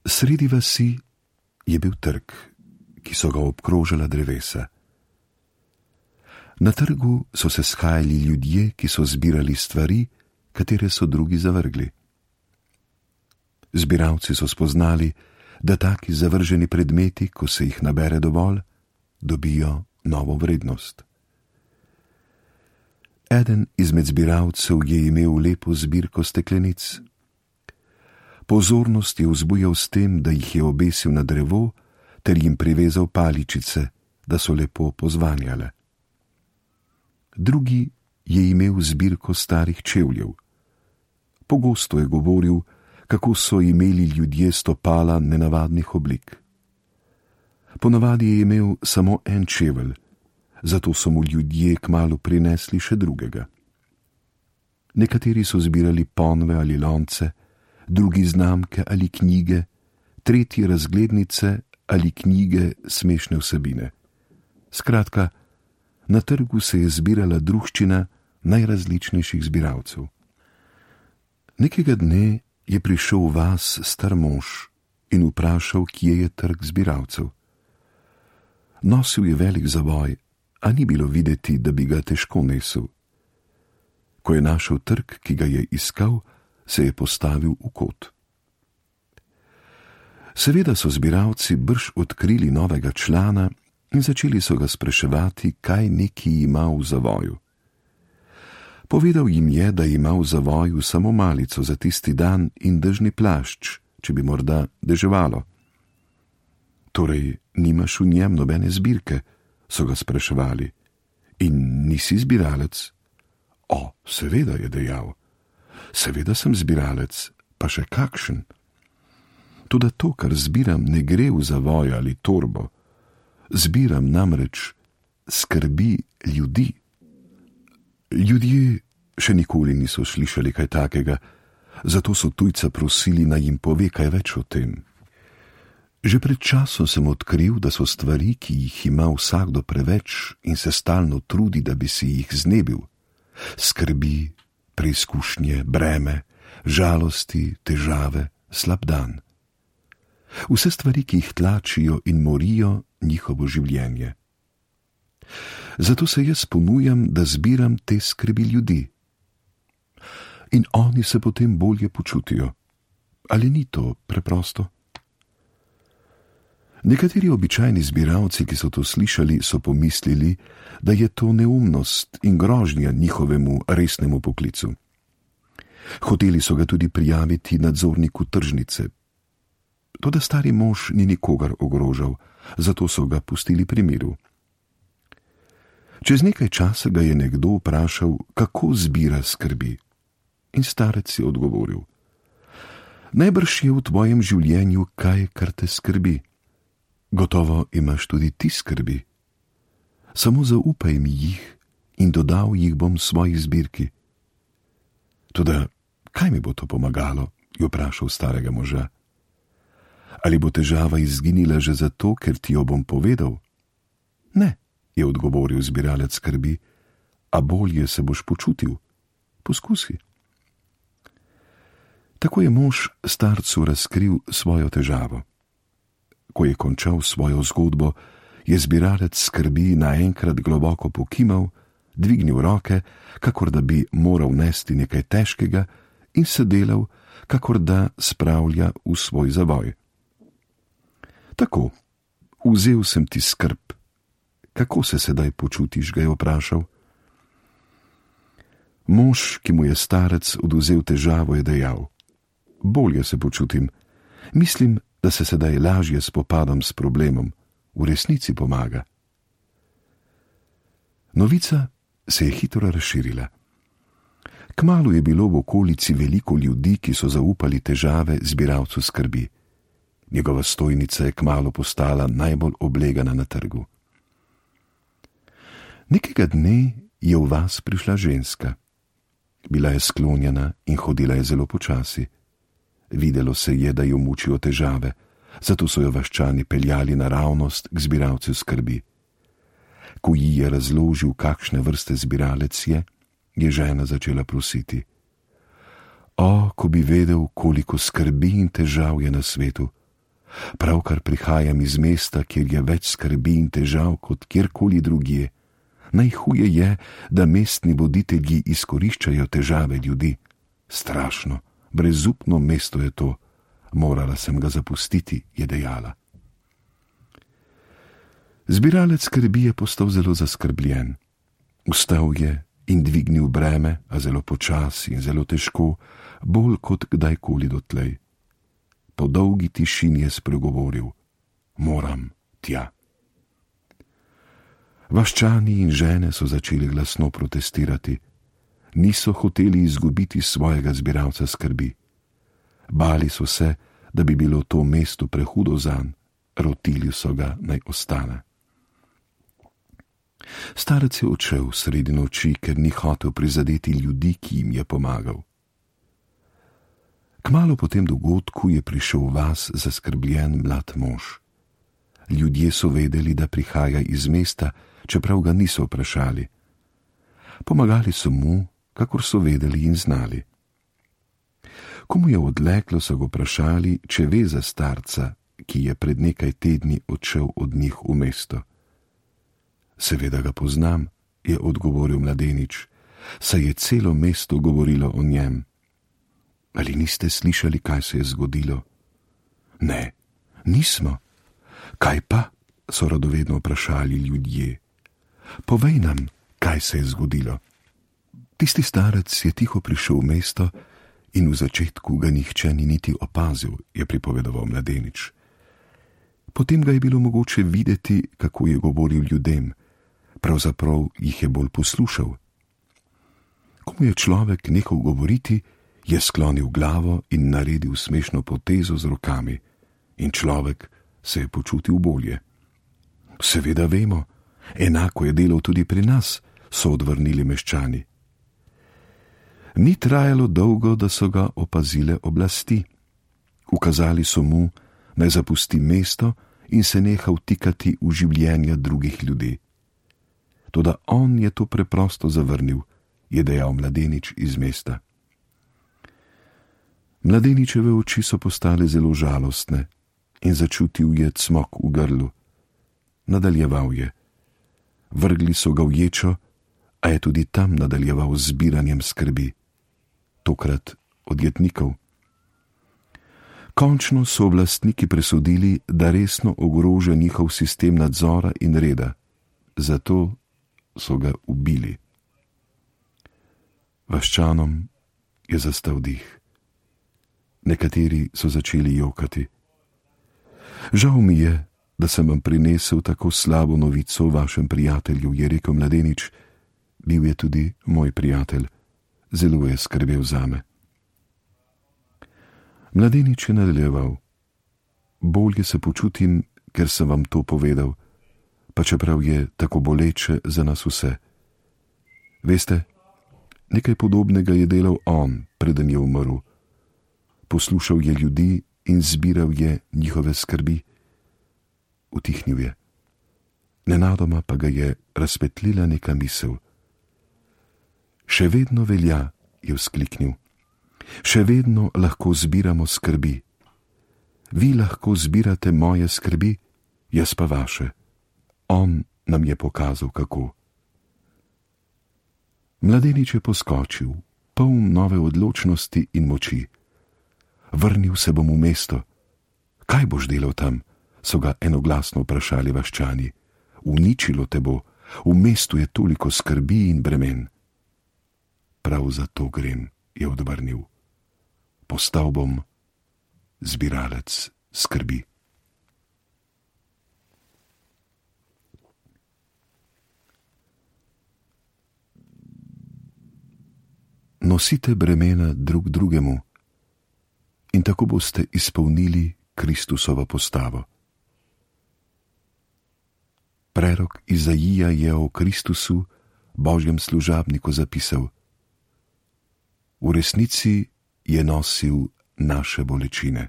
Sredi vasi je bil trg, ki so ga obkrožala drevesa. Na trgu so se shajali ljudje, ki so zbirali stvari, katere so drugi zavrgli. Zbiralci so spoznali, da taki zavrženi predmeti, ko se jih nabere dovolj, dobijo novo vrednost. Eden izmed zbiralcev je imel lepo zbirko steklenic. Pozornost je vzbujal s tem, da jih je obesil na drevo ter jim privezal paličice, da so lepo pozvanjale. Drugi je imel zbirko starih čevljev. Pogosto je govoril, kako so imeli ljudje stopala nenavadnih oblik. Ponavadi je imel samo en čevelj, zato so mu ljudje kmalu prinesli še drugega. Nekateri so zbirali ponve ali lonce, drugi znamke ali knjige, tretji razglednice ali knjige smešne vsebine. Skratka, na trgu se je zbirala druščina najrazličnejših zbiralcev. Nekega dne je prišel v vas star mož in vprašal, kje je trg zbiralcev. Nosil je velik zavoj, a ni bilo videti, da bi ga težko nesel. Ko je našel trg, ki ga je iskal, se je postavil v kot. Seveda so zbiralci brž odkrili novega člana in začeli so ga spraševati, kaj neki ima v zavoju. Povedal jim je, da ima v zavoju samo malico za tisti dan in dežni plašč, če bi morda deževalo. Torej, nimaš v njem nobene zbirke, so ga spraševali. In nisi zbiralec? O, seveda, je dejal. Seveda sem zbiralec, pa še kakšen. Toda to, kar zbiram, ne gre v zavoj ali torbo. Zbiram namreč skrbi ljudi. Ljudje še nikoli niso slišali kaj takega, zato so tujca prosili, naj jim pove kaj več o tem. Že pred časom sem odkril, da so stvari, ki jih ima vsakdo preveč in se stalno trudi, da bi si jih znebil. Skrbi, preizkušnje, breme, žalosti, težave, slab dan. Vse stvari, ki jih tlačijo in morijo njihovo življenje. Zato se jaz ponujam, da zbiram te skrbi ljudi. In oni se potem bolje počutijo. Ali ni to preprosto? Nekateri običajni zbiralci, ki so to slišali, so pomislili, da je to neumnost in grožnja njihovemu resnemu poklicu. Hoteli so ga tudi prijaviti nadzorniku tržnice. Toda stari mož ni nikogar ogrožal, zato so ga pustili pri miru. Čez nekaj časa ga je nekdo vprašal, kako zbira skrbi. In starec je odgovoril: najbrž je v tvojem življenju kaj, kar te skrbi. Gotovo imaš tudi ti skrbi. Samo zaupaj mi jih in dodal jih bom svoji zbirki. Toda kaj mi bo to pomagalo, je vprašal starega moža. Ali bo težava izginila že zato, ker ti jo bom povedal? Ne, je odgovoril zbiralec skrbi, a bolje se boš počutil. Poskusi. Tako je mož starcu razkril svojo težavo. Ko je končal svojo zgodbo, je zbiralec skrbi naenkrat globoko pokimal, dvignil roke, kakor da bi moral nesti nekaj težkega, in se delal, kakor da spravlja v svoj zavoj. Tako, vzel sem ti skrb. Kako se sedaj počutiš, ga je vprašal. Mož, ki mu je starec odvzel težavo, je dejal: bolje se počutim. Mislim, da se sedaj lažje spopadam s problemom. V resnici pomaga. Novica se je hitro razširila. Kmalu je bilo v okolici veliko ljudi, ki so zaupali težave zbiralcu skrbi. Njegova stojnica je kmalu postala najbolj oblegana na trgu. Nekega dne je v vas prišla ženska. Bila je sklonjena in hodila je zelo počasi. Videlo se je, da jo mučijo težave, zato so jo vaščani peljali naravnost k zbiralcu skrbi. Ko ji je razložil, kakšne vrste zbiralec je žena začela prositi: o, ko bi vedel, koliko skrbi in težav je na svetu, Pravkar prihajam iz mesta, kjer je več skrbi in težav kot kjerkoli drugje. Najhuje je, da mestni voditelji izkoriščajo težave ljudi. Strašno, brezupno mesto je to. Morala sem ga zapustiti, je dejala. Zbiralec skrbi je postal zelo zaskrbljen. Vstal je in dvignil breme, a zelo počasi in zelo težko, bolj kot kdajkoli dotlej. Po dolgi tišini je spregovoril: moram tja. Vaščani in žene so začeli glasno protestirati. Niso hoteli izgubiti svojega zbiralca skrbi. Bali so se, da bi bilo to mesto prehudo zanj, rotili so ga, naj ostane. Starec je odšel sredi noči, ker ni hotel prizadeti ljudi, ki jim je pomagal. Kmalu po tem dogodku je prišel v vas zaskrbljen mlad mož. Ljudje so vedeli, da prihaja iz mesta, čeprav ga niso vprašali. Pomagali so mu, kakor so vedeli in znali. Ko mu je odleklo, so ga vprašali, če ve za starca, ki je pred nekaj tedni odšel od njih v mesto. Seveda ga poznam, je odgovoril mladenič, saj je celo mesto govorilo o njem. Ali niste slišali, kaj se je zgodilo? Ne, nismo. Kaj pa? So radovedno vprašali ljudje. Povej nam, kaj se je zgodilo. Tisti starec je tiho prišel v mesto in v začetku ga nihče ni niti opazil, je pripovedoval mladenič. Potem ga je bilo mogoče videti, kako je govoril ljudem, pravzaprav jih je bolj poslušal. Ko mu je človek nehal govoriti, je sklonil glavo in naredil smešno potezo z rokami in človek se je počutil bolje. Seveda vemo, enako je delal tudi pri nas, so odvrnili meščani. Ni trajalo dolgo, da so ga opazile oblasti. Ukazali so mu, naj zapusti mesto in se neha vtikati v življenja drugih ljudi. Toda on je to preprosto zavrnil, je dejal mladenič iz mesta. Mladeničeve oči so postale zelo žalostne in začutil je cmok v grlu. Nadaljeval je. Vrgli so ga v ječo, a je tudi tam nadaljeval z zbiranjem skrbi. Tokrat od jetnikov. Končno so oblastniki presodili, da resno ogroža njihov sistem nadzora in reda. Zato so ga ubili. Vaščanom je zastal dih. Nekateri so začeli jokati. Žal mi je, da sem vam prinesel tako slabo novico o vašem prijatelju, je rekel mladenič. Bil je tudi moj prijatelj. Zelo je skrbel zame. Mladenič je nadaljeval. Bolje se počutim, ker sem vam to povedal, pa čeprav je tako boleče za nas vse. Veste, nekaj podobnega je delal on, preden je umrl. Poslušal je ljudi in zbiral je njihove skrbi. Utihnil je. Nenadoma pa ga je razpetlila neka misel. Še vedno velja, je vzkliknil. Še vedno lahko zbiramo skrbi. Vi lahko zbirate moje skrbi, jaz pa vaše. On nam je pokazal, kako. Mladenič je poskočil, poln nove odločnosti in moči. Vrnil se bom v mesto. Kaj boš delal tam? So ga enoglasno vprašali vaščani. Uničilo te bo, v mestu je toliko skrbi in bremen. Prav zato grem, je odvrnil. Postal bom zbiralec skrbi. Nosite bremena drug drugemu in tako boste izpolnili Kristusovo postavo. Prerok Izaija je o Kristusu, Božjem služabniku, zapisal: V resnici je nosil naše bolečine.